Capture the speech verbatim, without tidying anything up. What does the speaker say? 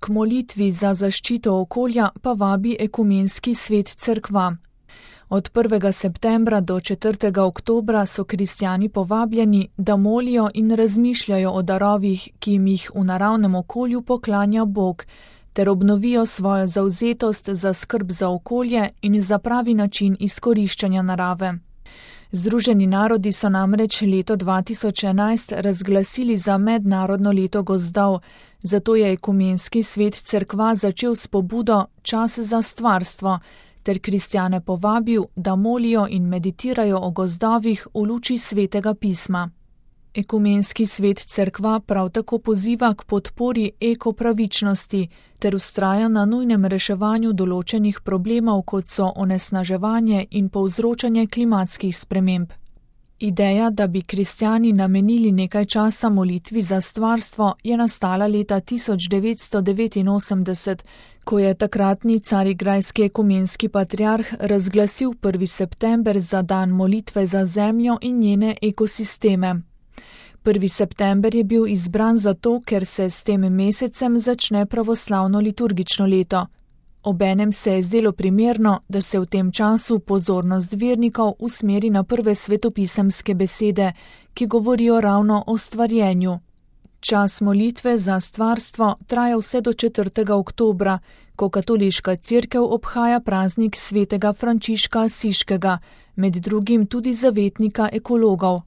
K molitvi za zaščito okolja pa vabi Ekumenski svet Cerkva. Od prvega septembra do četrtega oktobra so kristjani povabljeni, da molijo in razmišljajo o darovih, ki jim jih v naravnem okolju poklanja Bog, ter obnovijo svojo zavzetost za skrb za okolje in za pravi način izkoriščanja narave. Združeni narodi so namreč leto dva tisoč enajst razglasili za mednarodno leto gozdov, zato je Ekumenski svet Cerkva začel s pobudo Čas za stvarstvo, ter kristjane povabil, da molijo in meditirajo o gozdovih v luči svetega pisma. Ekumenski svet Cerkva prav tako poziva k podpori ekopravičnosti ter vztraja na nujnem reševanju določenih problemov, kot so onesnaževanje in povzročanje klimatskih sprememb. Ideja, da bi kristjani namenili nekaj časa molitvi za stvarstvo, je nastala leta tisoč devetsto devetinosemdeset, ko je takratni carigrajski ekumenski patriarh razglasil prvi september za dan molitve za zemljo in njene ekosisteme. prvi september je bil izbran zato, ker se s tem mesecem začne pravoslavno liturgično leto. Obenem se je zdelo primerno, da se v tem času pozornost vernikov usmeri na prve svetopisemske besede, ki govorijo ravno o stvarjenju. Čas molitve za stvarstvo traja vse do četrtega oktobra, ko katoliška cerkev obhaja praznik svetega Frančiška Asiškega, med drugim tudi zavetnika ekologov.